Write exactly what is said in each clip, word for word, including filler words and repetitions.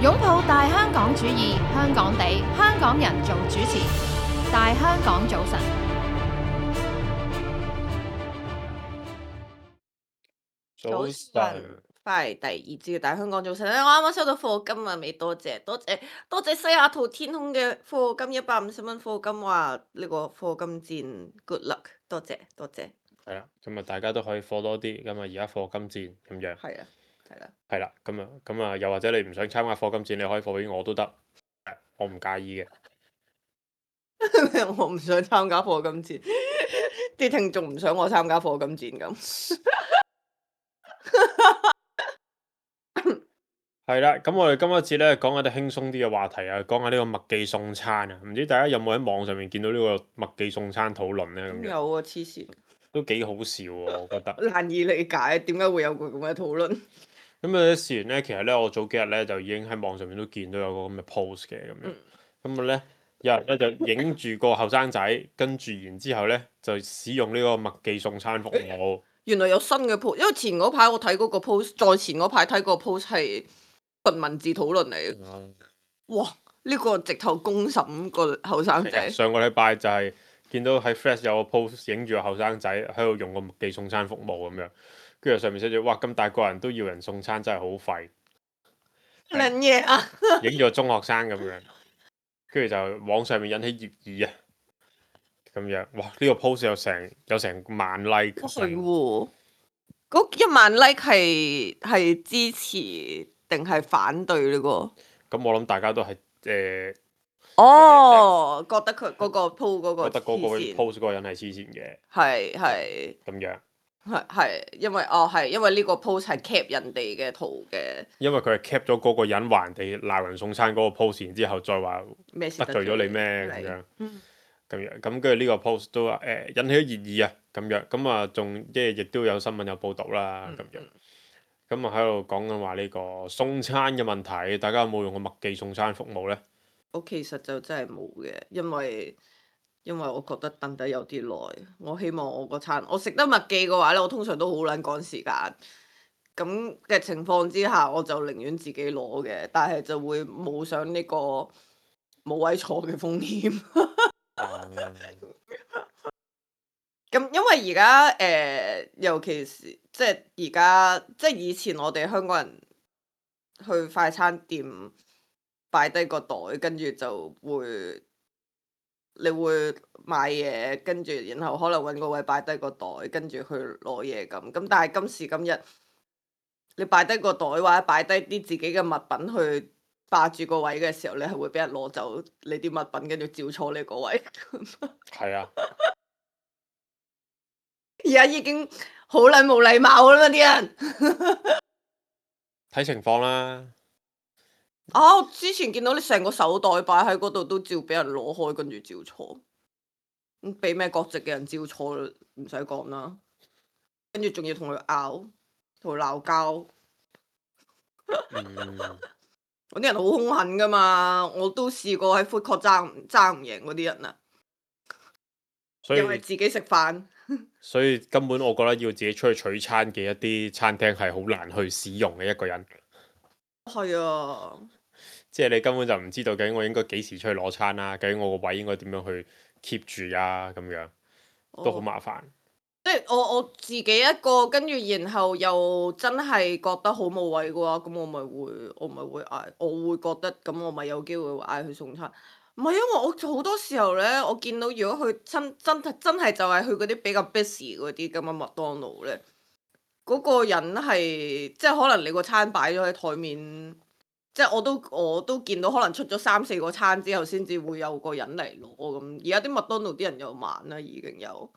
擁抱大香港主義，香港地，香港人做主持，大香港早晨。早晨，翻嚟第二節嘅大香港早晨咧，我啱啱收到課金啊，未多謝，多謝多謝西雅圖天空嘅課金一百五十蚊課金，話呢個課金戰 good luck，多謝多謝。係啦，咁啊大家都可以課多啲，咁啊而家課金戰咁樣。係啊，係啦。係啦，咁啊咁啊，又或者你唔想參加課金戰，你可以課俾我都得，我唔介意嘅。我唔想參加課金戰，啲聽眾唔想我參加課金戰咁。係啦，咁我哋今一節咧講下啲輕鬆啲嘅話題啊，講下呢個麥記送餐啊，唔知大家有冇喺網上面見到呢個麥記送餐討論咧？咁樣有啊，黐線，都幾好笑喎，我覺得。難以理解點解會有個咁嘅討論。咁啊，事緣咧，其實咧，我早幾日咧就已經喺網上面都見到有個咁嘅 post 嘅咁樣。咁啊咧，有人咧就影住個後生仔，跟住然之後咧就使用呢個麥記送餐服務。原來有新嘅 post，因為前嗰排我睇嗰個 post，再前嗰排睇嗰個 post 係純文字討論嚟嘅。嗯哇！呢、個直頭公審個後生仔。上個禮拜就係見到喺 Flash 有個 post 影住個後生仔喺度用個麥記送餐服務咁樣，跟住上面寫住哇咁大個人都要人送餐真係好廢，撚嘢啊！影咗中學生咁樣，跟住就網上面引起熱議啊，咁樣哇呢、個 post 有成有成萬 like。係喎，嗰一萬 like 係係支持定係反對呢個？咁我諗大家都係誒。哦，覺得佢嗰個 po 嗰個覺得嗰個黐線 post 嗰個人係黐線嘅，係係咁樣，係係，因為哦係因為呢個 post 係 cap 人哋嘅圖嘅，因為佢係 cap 咗嗰個人話人哋鬧人送餐嗰個 post，然之後再話咩事得罪咗你咩咁係樣，嗯咁樣，咁跟住呢個 post 都誒、呃引起咗熱議啊，咁樣，咁啊仲即係亦都有新聞有報導啦，咁樣，咁啊喺度講緊話呢個送餐嘅問題，大家有冇用過麥記送餐服務呢？我其實就真係冇嘅，因為因為我覺得等得有啲耐，我希望我個餐我食得麥記嘅話咧，我通常都好撚趕時間。咁嘅情況之下，我就寧願自己攞嘅，但係就會冒上呢個冇位坐嘅風險。咁因為而家誒，尤其是即係而家，即係以前我哋香港人去快餐店擺低個袋，跟住就會你會買嘢，跟住然後可能揾個位擺低個袋，跟住去攞嘢咁。咁但係今時今日，你擺低個袋或者擺低啲自己嘅物品去霸住個位嘅時候，你係會俾人攞走你啲物品，跟住照坐你個位。係啊，而家已經好撚冇禮貌啦嘛啲人。睇情況啦，啊！我之前見到你成個手袋擺喺嗰度，都照俾人攞開，跟住照坐。咁俾咩國籍嘅人照坐，唔使講啦。跟住仲要同佢拗，同佢鬧交。嗯，嗰啲人好兇狠噶嘛，我都試過喺 food court 爭唔爭唔贏嗰啲人啊，所以因為自己食飯。所以根本我覺得要自己出去取餐嘅一啲餐廳係好難去使用嘅一個人。係啊，即係你根本就唔知道究竟我應該幾時出去攞餐啦，究竟我個位應該點樣去 keep 住啊，咁樣都好麻煩。即係我我自己一個，跟住然後又真係覺得好冇位嘅話，咁我咪會我咪會嗌，我會覺得咁我咪有機會嗌佢送餐。唔係因為我好多時候咧，我見到如果佢真真真係就係去嗰啲比較 busy 嗰啲咁嘅麥當勞咧，嗰、個人係即係可能你個餐擺咗喺台面，即係我都我都見到可能出咗三四個餐之後，先至會有個人嚟攞咁。而家啲麥當勞啲人又慢啦，已經有。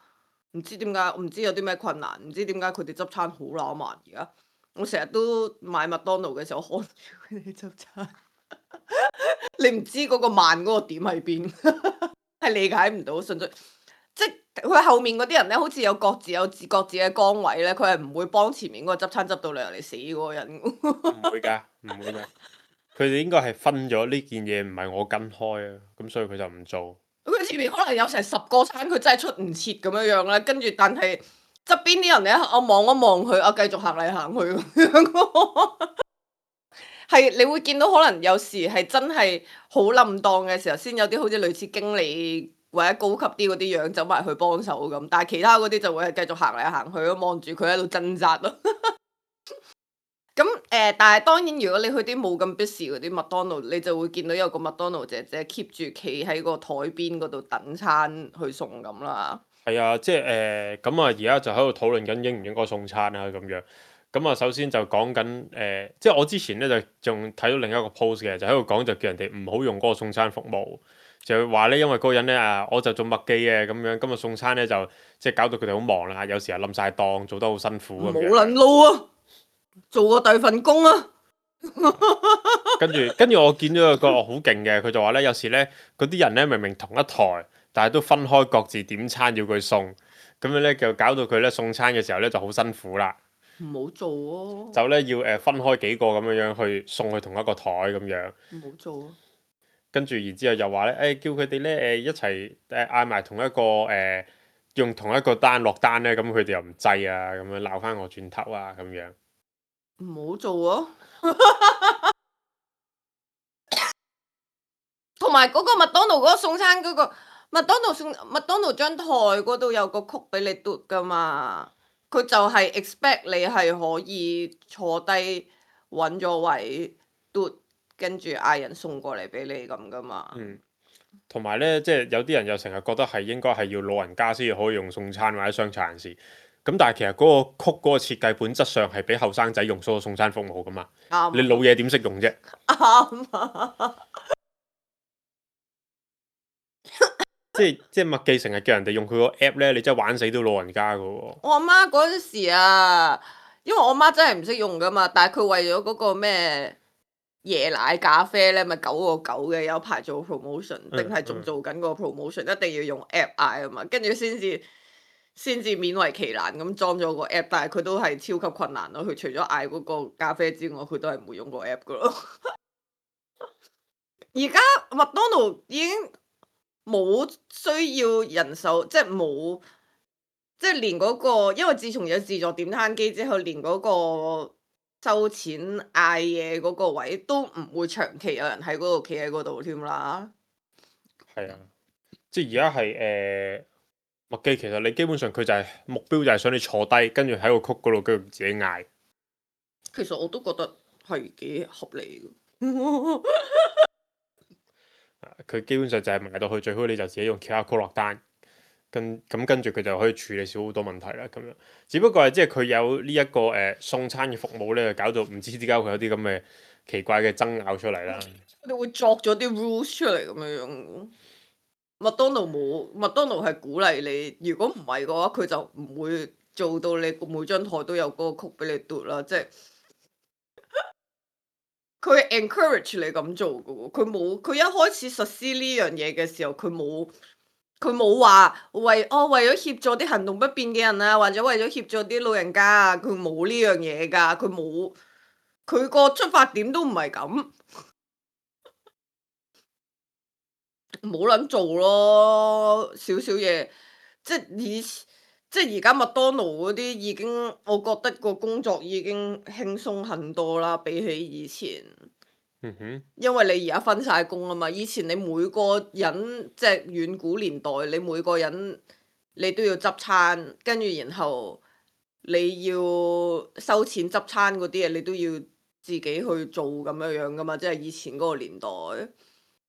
唔知點解，我唔知有啲咩困難，唔知點解佢哋執餐好乸慢而家。我成日都買麥當勞嘅時候看住佢哋執餐，你唔知嗰個慢嗰個點喺邊，係理解唔到，純粹即係佢後面嗰啲人咧，好似有各自有自各自嘅崗位咧，佢係唔會幫前面嗰個執餐執到你嚟死嗰個人。唔會㗎，唔會㗎。佢哋應該係分咗呢件嘢唔係我跟開啊，咁所以佢就唔做。佢前面可能有成十個餐，佢真係出唔切咁樣樣咧，跟住但係側邊啲人咧，我望一望佢，啊繼續行嚟行去咁樣。係你會見到可能有時係真係好冧檔嘅時候，先有啲好似類似經理或者高級啲嗰啲樣走埋去幫手咁，但係其他嗰啲就會係繼續行嚟行去咯，望住佢喺度掙扎咯。咁誒、呃，但係當然，如果你去啲冇咁 busy 嗰啲麥當勞，你就會見到有個麥當勞姐姐 keep 住企喺個台邊嗰度等餐去送咁啦。係啊，即係誒咁啊，而家就喺度討論緊應唔應該送餐啊咁樣。咁啊，首先就講緊誒，即係我之前咧就仲睇到另一個 post 嘅，就喺度講就叫人哋唔好用嗰個送餐服務，就話咧因為嗰個人咧啊，我就做麥記嘅咁樣，今日送餐咧就即係搞到佢哋好忙啦，有時又冧晒檔，做得好辛苦咁樣。冇撚撈啊！做過第二份工啊！跟住跟住我見到有個好勁嘅，佢就話咧有時咧嗰啲人咧明明同一台，但係都分開各自點餐要佢送，咁樣咧就搞到佢咧送餐嘅時候咧就好辛苦啦。唔好做啊！就咧要誒分開幾個咁樣樣去送去同一個台咁樣。唔好做啊！跟住然之後又話咧誒叫佢哋咧誒一齊誒嗌埋同一個誒、呃、用同一個單落單咧，咁佢哋又唔制啊，咁樣鬧翻我轉頭啊咁樣。唔好做啊！同埋嗰個麥當勞嗰個送餐嗰、個麥當勞送麥當勞張台嗰度有個曲俾你嘟噶嘛，佢就係 expect 你係可以坐低揾咗位嘟，跟住嗌人送過嚟俾你咁噶嘛。嗯，同埋咧，即係有啲人又成日覺得係應該係要老人家先至可以用送餐或者傷殘人士。咁但係其實嗰個曲嗰個設計本質上係俾後生仔用所有送餐服務噶嘛。啱。你老嘢點識用啫？啱啊！即係即係麥記成日叫人哋用佢個 app 咧，你真係玩死到老人家噶喎。我阿媽嗰陣時啊，因為我阿媽真係唔識用噶嘛，但係佢為咗嗰個咩椰奶咖啡咧，咪九個九嘅，有排做 promotion，定係仲做緊個 promotion，一定要用 app 嗌啊嘛，跟住先至先至勉為其難咁裝咗個 app，但係佢都係超級困難咯。佢除咗嗌嗰個咖啡之外，佢都係唔會用個 app 噶咯。而家麥當勞已經冇需要人手，即係冇，即係連嗰個，因為自從有自助點餐機之後，連嗰個收錢嗌嘢嗰個位都唔會長期有人喺嗰度企喺嗰度添啦。係啊，即係而家係誒麥記，其實你基本上佢就係、目標就係想你坐低，跟住喺個曲嗰度跟住自己嗌。其實我都覺得係幾合理嘅。佢基本上就係賣到去最好，你就自己用其他 code 落單，跟咁跟住佢就可以處理少好多問題啦。咁樣，只不過係即係佢有呢、這、一個誒、呃、送餐嘅服務咧，搞到唔知點解會有啲咁嘅奇怪嘅爭拗出嚟啦。你會作咗啲 rules 出嚟咁樣樣。麥當勞冇，麥當勞係鼓勵你，如果唔係嘅話，佢就唔會做到你每張台都有嗰個曲俾你嘟啦，即係。佢 encourage 你咁做嘅喎，佢冇佢一開始實施呢樣嘢嘅時候，佢冇佢冇話為哦為咗協助啲行動不便嘅人啊，或者為咗協助啲老人家啊，佢冇呢樣嘢㗎，佢冇佢個出發點都唔係咁，冇撚做咯，少少嘢，即係以即係而家麥當勞嗰啲已經，我覺得個工作已經輕鬆很多啦，比起以前。嗯哼，因為你而家分晒工啊嘛，以前你每個人即係遠古年代，你每個人你都要執餐，跟住然後你要收錢執餐嗰啲嘢，你都要自己去做咁樣樣噶嘛，即係以前嗰個年代。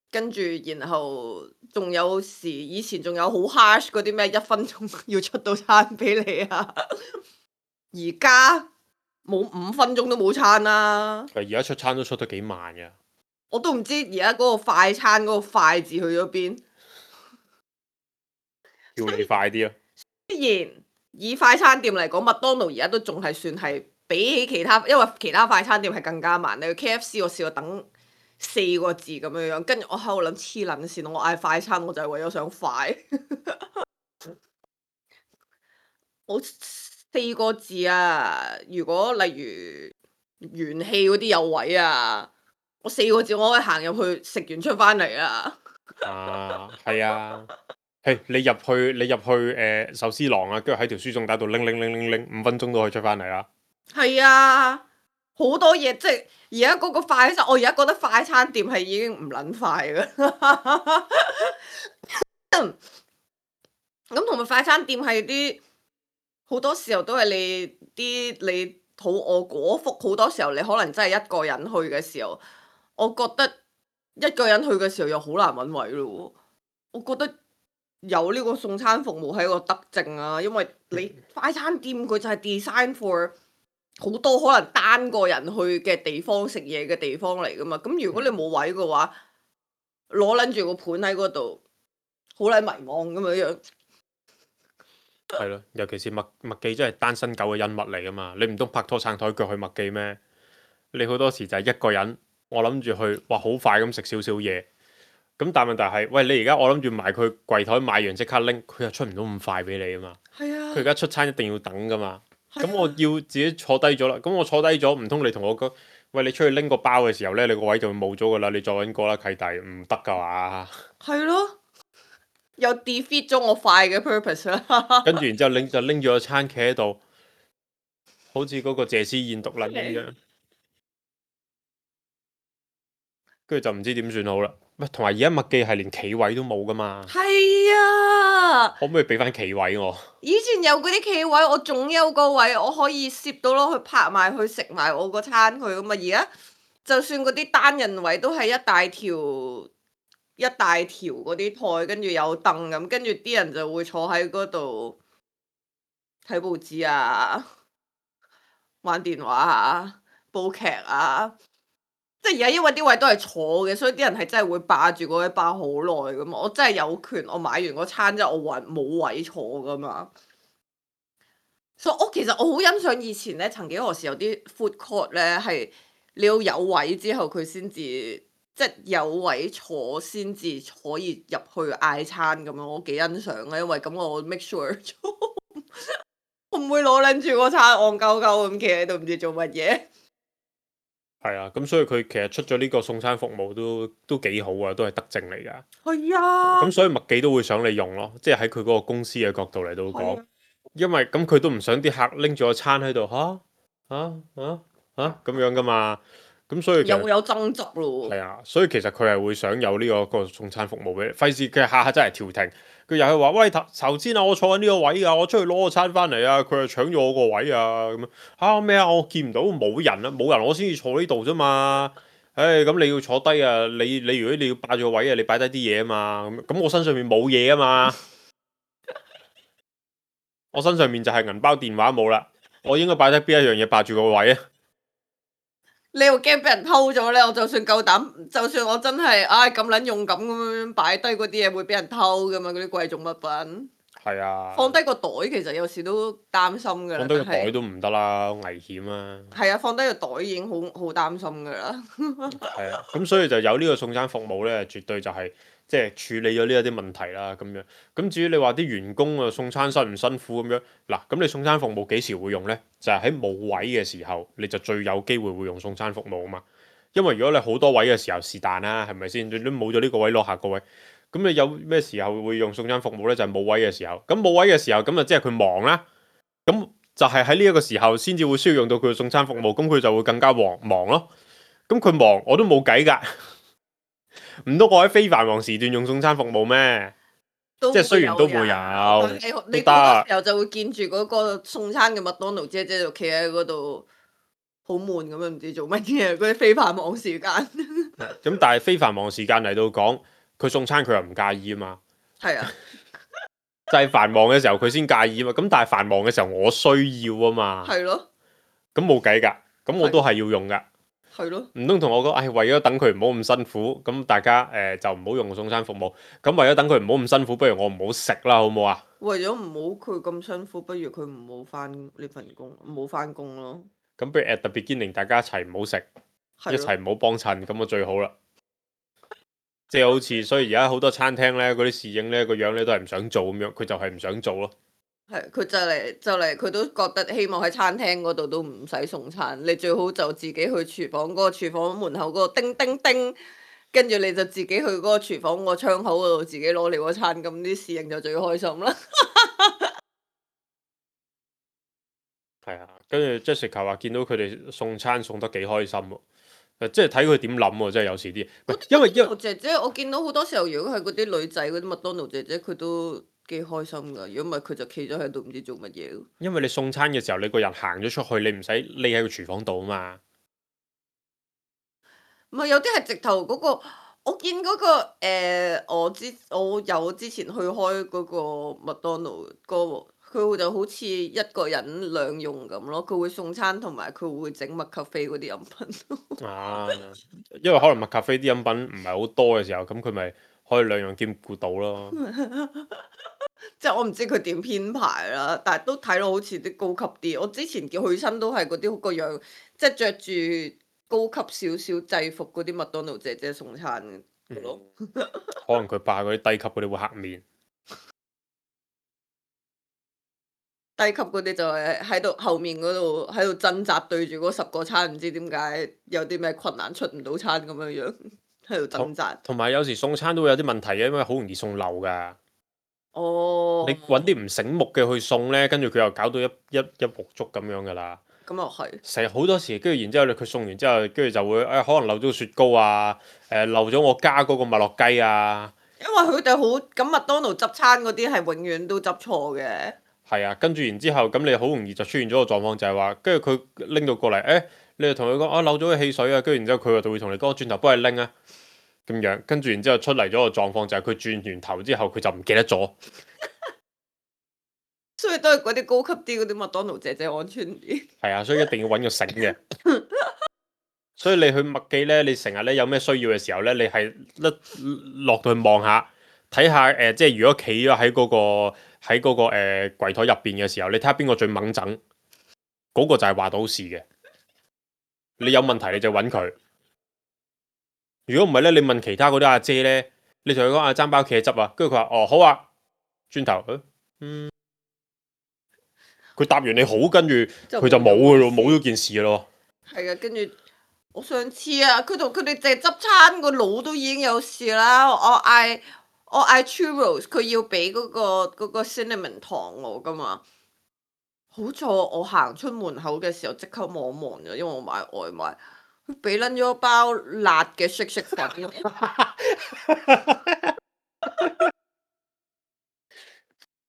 跟住然後仲有時以前仲有好 harsh 嗰啲咩一分鐘要出到餐俾你啊，而家。冇五分鐘都冇餐啦！而家出餐都出得幾慢嘅。我都唔知而家嗰個快餐嗰個快字去咗邊。叫你快啲啊！雖然以快餐店嚟講，麥當勞而家都仲係算係比起其他，因為其他快餐店係更加慢。你去 K F C 我試過等四個字咁樣樣，跟住我喺度諗黐撚線，我嗌快餐我就係為咗想快。我四個字啊！如果例如元氣嗰啲有位啊，我四個字我可以行入去食完出翻嚟啊！啊，係啊，係你入去你入去誒、呃、壽司郎啊，跟住喺條輸送帶度拎拎拎拎拎，五分鐘都可以出翻嚟啦。係啊，好多嘢，即係而家嗰個快餐，我而家覺得快餐店係已經唔撚快嘅。咁同埋快餐店係啲好多時候都係你啲你肚餓果腹，好多時候你可能真係一個人去嘅時候，我覺得一個人去嘅時候又好難揾位咯。我覺得有呢個送餐服務係一個德政啊，因為你快餐店佢就係 design for 好多可能單個人去嘅地方食嘢嘅地方嚟噶嘛。咁如果你冇位嘅話，攞撚住個盤喺嗰度，好撚迷茫咁樣樣。係咯，尤其是麥麥記真係單身狗嘅恩物嚟噶嘛，你唔通拍拖撐台腳去麥記咩？你好多時就係一個人，我諗住去，哇好快咁食少少嘢，咁但係問題係，喂你而家我諗住埋佢櫃台買完即刻拎，佢又出唔到咁快俾你啊嘛。係啊。佢而家出餐一定要等噶嘛，咁我要自己坐低咗啦，咁我坐低咗，唔通你同我講，喂你出去拎個包嘅時候呢，你個位就會冇咗噶啦，你再揾個啦契弟，唔得噶嘛。係咯。又 defeat 咗我快嘅 purpose 啦。跟住然之後拎就拎住個餐企喺度，好似嗰個謝師宴獨撚咁樣，跟住就唔知點算好啦。喂，同埋而家麥記係連企位都冇噶嘛？係啊。可唔可以俾翻企位我？以前有嗰啲企位，我總有個位我可以攝到咯，去拍埋去食埋我個餐去噶嘛。而家就算嗰啲單人位都係一大條。一大條嗰啲台，跟住有凳咁，跟住啲人就會坐喺嗰度睇報紙啊、玩電話啊、煲劇啊。即係而家因為啲位都係坐嘅，所以啲人係真係會霸住嗰位霸好耐噶嘛。我真係有權，我買完個餐之後，我揾冇位坐噶嘛。所以我其實我好欣賞以前咧，曾幾何時有啲 food court 咧係你要有位之後佢先至。即係有位坐先至可以入去嗌餐咁樣，我幾欣賞啊！因為咁我 make sure 我唔會攞撚住個餐戇鳩鳩咁企喺度唔知做乜嘢。係啊，咁所以佢其實出咗呢個送餐服務都都幾好啊，都係德政嚟㗎。係啊。咁所以麥記都會想你用咯，即係喺佢嗰個公司嘅角度嚟到講，啊、因為咁佢都唔想啲客拎住個餐喺度嚇嚇嚇嚇咁樣㗎嘛。咁所以又有爭執咯。係啊，所以其實佢係會想有呢、這個、這個送餐服務俾你，費事佢下下真係調停，佢又係話喂頭頭先啊，我坐緊呢個位啊，我出去攞個餐翻嚟啊，佢又搶咗我個位啊咁樣嚇咩啊？我見唔到冇人啊，冇人我先至坐呢度啫嘛。唉，咁你要坐低啊，你你如果你要霸住個位啊，你擺低啲嘢啊嘛。咁咁我身上面冇嘢啊嘛，我身上面就係銀包電話冇啦，我應該擺低邊一樣嘢霸住個位啊？你又驚俾人偷咗咧？我就算夠膽，就算我真係唉咁撚勇敢咁樣擺低嗰啲嘢，會俾人偷噶嘛？嗰啲貴重物品。係啊。放低個袋其實有時都擔心噶啦。放低個袋都唔得啦，危險啊。係啊，放低個袋已經好好擔心噶啦。係啊，咁所以就有呢個送餐服務咧，絕對就係即係處理咗呢一啲問題啦。咁樣咁至於你話啲員工啊送餐辛唔辛苦咁樣嗱，咁你送餐服務幾時會用咧？就係喺冇位嘅時候，你就最有機會會用送餐服務啊嘛。因為如果你好多位嘅時候是但啦，係咪先？你都冇咗呢個位攞下個位，咁你有咩時候會用送餐服務咧？就係冇位嘅時候。咁冇位嘅時候，咁就即係佢忙啦。咁就係喺呢一個時候先至會需要用到佢嘅送餐服務，咁佢就會更加忙忙咯。咁佢忙我都冇計㗎，唔通我喺非繁忙時段用送餐服務咩？即係雖然都會有，你好多時候就會見住嗰個送餐嘅麥當勞姐姐就企喺嗰度，好悶咁樣，唔知做乜嘢。嗰啲非繁忙時間。咁但係非繁忙時間嚟到講，佢送餐佢又唔介意啊嘛。係啊。就係繁忙嘅時候佢先介意啊嘛。咁但係繁忙嘅時候我需要啊嘛。係咯。咁冇計㗎，咁我都係要用㗎。係咯。唔通同我講，唉、哎，為咗等佢唔好咁辛苦，咁大家誒、呃、就唔好用送餐服務。咁為咗等佢唔好咁辛苦，不如我唔好食啦，好唔好啊？為咗唔好佢咁辛苦，不如佢唔好翻呢份工，唔好翻工咯。咁不如 at the beginning 大家一齊唔好食，一齊唔好幫襯，咁就最好啦。即係好似，所以而家好多餐廳咧，嗰啲侍應咧個樣咧都係唔想做咁樣，佢就係唔想做咯。係，佢就嚟就嚟，佢都覺得希望喺餐廳嗰度都唔使送餐，你最好就自己去廚房嗰個廚房門口嗰個叮叮叮，跟住你就自己去嗰個廚房個窗口嗰度自己攞你個餐，咁啲侍應就最開心啦。係啊，跟住 Jessica 話見到佢哋送餐送得幾開心喎。誒即係睇佢點諗喎，真係有時啲，唔係因為因為麥當勞姐姐，我見到好多時候，如果係嗰啲女仔嗰啲麥當勞姐姐，佢都幾開心㗎。如果唔係，佢就企咗喺度唔知做乜嘢。因為你送餐嘅時候，你個人行咗出去，你唔使匿喺個廚房度啊嘛。唔係有啲係直頭嗰個，我見嗰個誒，我之我有之前去開嗰個麥當勞個，佢就好似一個人兩用咁咯。佢會送餐同埋佢會整麥咖啡嗰啲飲品。啊，因為可能麥咖啡啲飲品唔係好多嘅時候，咁佢咪可以兩樣兼顧到咯。即係我唔知佢點編排啦，但係都睇到好似啲高級啲。我之前叫去親都係嗰啲個樣，即係着住高級少少制服嗰啲麥當勞姐姐送餐嘅咯。嗯可能佢怕嗰啲低級嗰啲會黑面。低級嗰啲就係喺度後面嗰度喺度掙扎對住嗰十個餐，唔知點解有啲咩困難出唔到餐咁樣樣喺度掙扎。同埋有時送餐都會有啲問題嘅，因為好容易送漏㗎。哦，你揾啲唔醒目嘅去送呢，跟住佢又搞到一一一鑊粥咁樣㗎啦。咁又係。成日好多時，跟住然之後佢送完之後，跟住就會誒、哎、可能漏咗個雪糕啊，誒、漏咗我加嗰個麥樂雞啊。因為佢哋好咁麥當勞執餐嗰啲係永遠都執錯嘅。係啊，跟住然之後咁你好容易就出現咗個狀況，就係話，跟住佢拎到過嚟，誒，你就同佢講啊漏咗個汽水啊，跟住然之後佢就會同你講，轉頭幫你拎啊，咁樣，跟住然之後出嚟咗個狀況就係佢轉完頭之後佢就唔記得咗。所以都係嗰啲高級啲嗰啲麥當勞姐姐安全啲。係啊，所以一定要揾個醒嘅。所以你去麥記呢，你成日咧有咩需要嘅時候呢，你係一落到去望下，睇下誒，即係如果企咗喺嗰個喺嗰個誒櫃台入邊嘅時候，你睇下邊個最猛整，嗰、個就係話到事嘅。你有問題你就揾佢。如果唔係呢，你問其他嗰啲阿姐呢，你同佢講啊爭包茄汁啊，跟住佢話哦好啊，轉頭嗯，佢答完你好，跟住佢就冇噶咯，冇咗件事咯。係啊，跟住我上次啊，佢同佢哋淨係執餐個腦都已經有事啦。我嗌我嗌 churros，佢要俾嗰、個嗰、個 cinnamon 糖我噶嘛。好在我行出門口嘅時候即刻望一望咗，因為我買外賣，佢俾撚咗包辣嘅色色粉。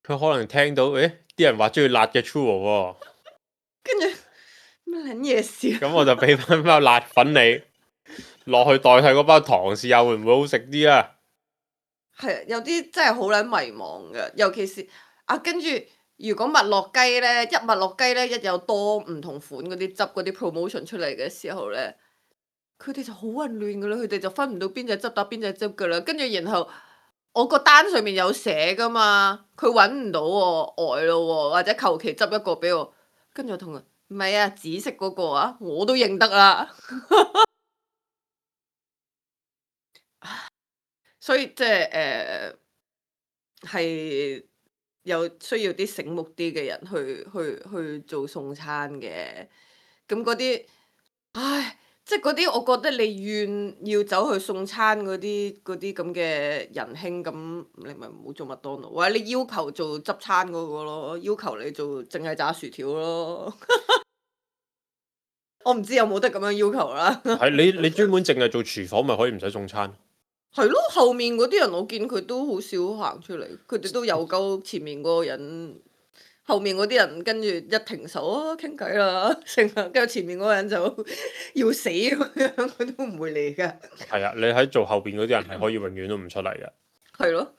佢可能聽到誒啲人話中意辣嘅 churro 喎，跟住乜撚嘢事啊？咁我就俾翻包辣粉你落去代替嗰包糖，試下會唔會好食啲啊？係啊，有啲真係好撚迷茫嘅，尤其是啊，跟住如果麥樂雞咧，一麥樂雞咧一有多唔同款嗰啲汁嗰啲 promotion 出嚟嘅時候咧，佢哋就好混亂噶啦，佢哋就分唔到邊隻汁搭邊隻汁噶啦，跟住然後我個單上面有寫噶嘛，佢揾唔到喎，呆咯喎，或者求其執一個俾我，跟住我同佢唔係啊，紫色嗰個啊，我都認得啦。所以即係誒係有需要啲醒目啲嘅人去去去做送餐嘅，咁嗰啲，唉，即係嗰啲我覺得你願要走去送餐嗰啲嗰啲咁嘅仁兄，咁你咪唔好做麥當勞，或者你要求做執餐嗰個咯，要求你做淨係炸薯條咯。我唔知有冇得咁樣要求啦。係你你專門淨係做廚房咪可以唔使送餐？係咯，後面嗰啲人我見佢都好少行出嚟，佢哋都有鳩前面嗰個人，後面嗰啲人跟住一停手啊傾偈啦，成日跟住前面嗰個人就要死咁樣，佢都唔會嚟㗎。係啊，你喺做後邊嗰啲人係可以永遠都唔出嚟嘅。係咯，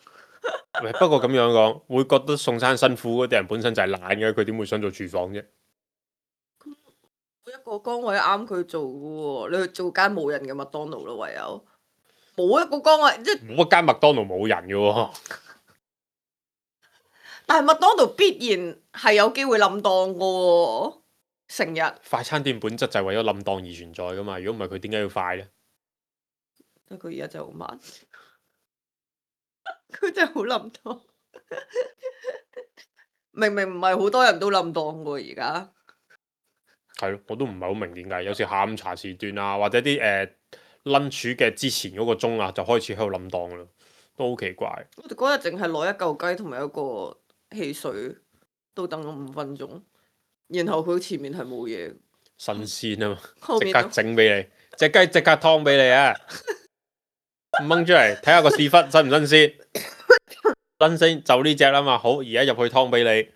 喂不過咁樣講，會覺得送餐辛苦嗰啲人本身就係懶嘅，佢點會想做廚房啫？每一個崗位啱佢做嘅喎，你去做間冇人嘅麥當勞咯，唯有冇一個崗位即係，冇一間麥當勞冇人嘅喎。但係麥當勞必然係有機會冧檔嘅喎，成日。快餐店本質就係為咗冧檔而存在噶嘛，如果唔係佢點解要快呢？佢而家真係好慢，佢真係好冧檔。明明唔係好多人都冧檔喎，而家。係咯，我都唔係好明點解，有時下午茶時段啊，或者啲誒 lunch 嘅之前嗰個鐘啊，就開始喺度冧檔啦，都好奇怪。我哋嗰日淨係攞一嚿雞同埋一個汽水，都等咗五分鐘。然後佢前面係冇嘢，新鮮啊嘛，後面即刻整俾你，隻雞即刻劏俾你啊！掹出嚟睇下個屎忽新唔新鮮，新鮮就呢只啦嘛。好，而家入去劏俾你。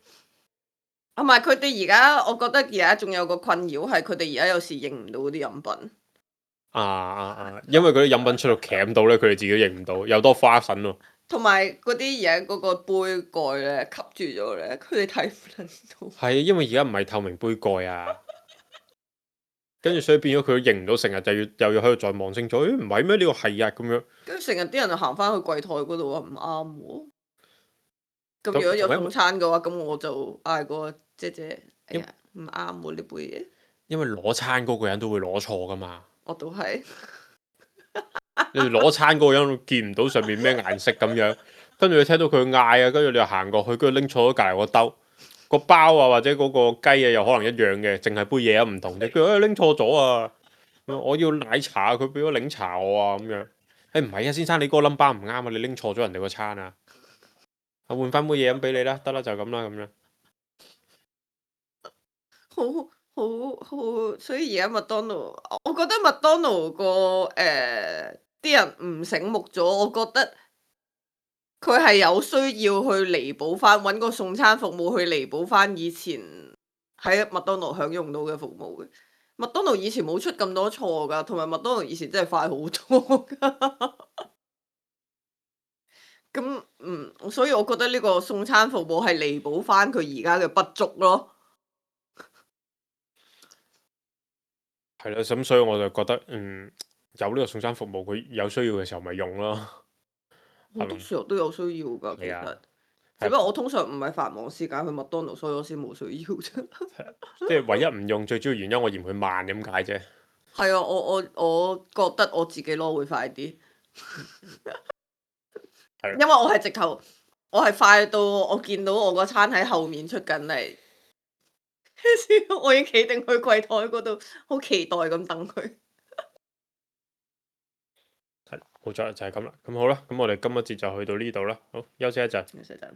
同埋佢哋而家，我覺得而家仲有個困擾係佢哋而家有時認唔到嗰啲飲品。啊啊啊！因為嗰啲飲品出到鉗到咧，佢哋自己都認唔到，又多花粉喎。同埋嗰啲而家嗰個杯蓋咧吸住咗咧，佢哋睇唔撚到。係因為而家唔係透明杯蓋啊，跟住所以變咗佢都認唔到，成日就要又要喺度再望清楚，誒唔係咩？呢個係啊咁樣。跟住成日啲人就行翻去櫃台嗰度話唔啱喎。咁咁如果有同埋送餐嘅話，咁我就嗌個姐姐，哎呀唔啱喎呢杯嘢。因為攞餐嗰個人都會攞錯噶嘛。我都係。你哋攞餐嗰個人見唔到上面咩顏色咁樣，跟住你聽到佢嗌啊，跟住你又行過去，跟住拎錯咗隔離個兜，個包啊或者嗰個雞啊又可能一樣嘅，淨係杯嘢啊唔同嘅。佢話誒拎錯咗啊，我要奶茶，佢俾咗檸茶我啊咁樣。誒唔係啊，先生你嗰個 number 唔啱啊，你拎錯咗人哋個餐啊，我換翻杯嘢飲俾你啦，得啦就咁啦咁樣。好好好，所以而家麥當勞，我覺得麥當勞個誒啲人唔醒目咗，我覺得佢係有需要去彌補翻，揾個送餐服務去彌補翻以前喺麥當勞享用到嘅服務嘅。麥當勞以前冇出咁多錯㗎，同埋麥當勞以前真係快好多㗎。咁嗯，所以我覺得呢個送餐服務係彌補翻佢而家嘅不足咯。係啦，咁所以我就覺得嗯有呢個送餐服務，佢有需要嘅時候咪用咯。好多時候都有需要㗎，其實。係啊只不過我通常唔係繁忙時間去麥當勞，所以我先冇需要啫。即係唯一唔用最主要原因，我嫌佢慢咁解啫。係啊，我我我覺得我自己攞會快啲，係因為我係直頭，我係快到我見到我個餐喺後面出緊嚟，我已經企定去櫃台嗰度，好期待咁等佢。係冇錯，就係咁啦。咁好啦，咁我哋今一節就去到呢度啦。好，休息一陣。休息陣。